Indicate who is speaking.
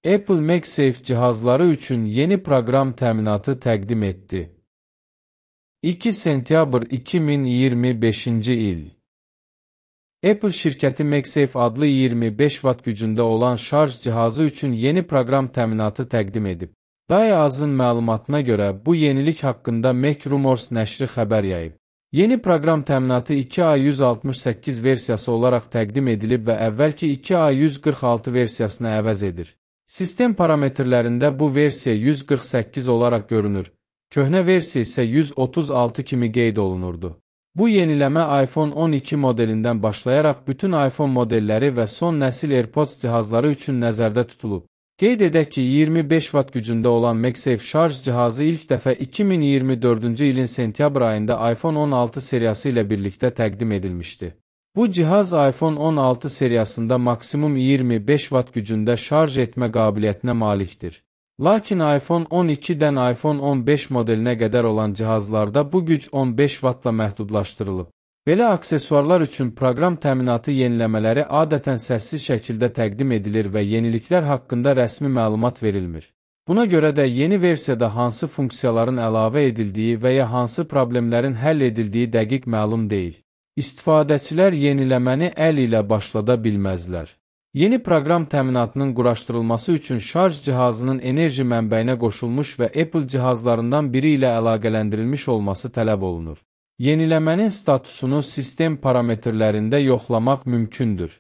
Speaker 1: Apple MagSafe cihazları üçün yeni proqram təminatı təqdim etdi. 2 sentyabr 2025-ci il. Apple şirkəti MagSafe adlı 25 watt gücündə olan şarj cihazı üçün yeni proqram təminatı təqdim edib. Dayazın məlumatına görə bu yenilik haqqında Mac Rumors nəşri xəbər yayıb. Yeni proqram təminatı 2A168 versiyası olaraq təqdim edilib və əvvəlki 2A146 versiyasını əvəz edir. Sistem parametrlərində bu versiya 148 olaraq görünür. Köhnə versiya isə 136 kimi qeyd olunurdu. Bu yeniləmə iPhone 12 modelindən başlayaraq bütün iPhone modelləri və son nəsil AirPods cihazları üçün nəzərdə tutulub. Qeyd edək ki, 25 watt gücündə olan MagSafe şarj cihazı ilk dəfə 2024-cü ilin sentyabr ayında iPhone 16 seriyası ilə birlikdə təqdim edilmişdi. Bu cihaz iPhone 16 seriyasında maksimum 25 watt gücündə şarj etmə qabiliyyətinə malikdir. Lakin iPhone 12-dən iPhone 15 modelinə qədər olan cihazlarda bu güc 15 wattla məhdudlaşdırılıb. Belə aksesuarlar üçün proqram təminatı yeniləmələri adətən səssiz şəkildə təqdim edilir və yeniliklər haqqında rəsmi məlumat verilmir. Buna görə də yeni versiyada hansı funksiyaların əlavə edildiyi və ya hansı problemlərin həll edildiyi dəqiq məlum deyil. İstifadəçilər yeniləməni əl ilə başlada bilməzlər. Yeni proqram təminatının quraşdırılması üçün şarj cihazının enerji mənbəyinə qoşulmuş və Apple cihazlarından biri ilə əlaqələndirilmiş olması tələb olunur. Yeniləmənin statusunu sistem parametrlərində yoxlamaq mümkündür.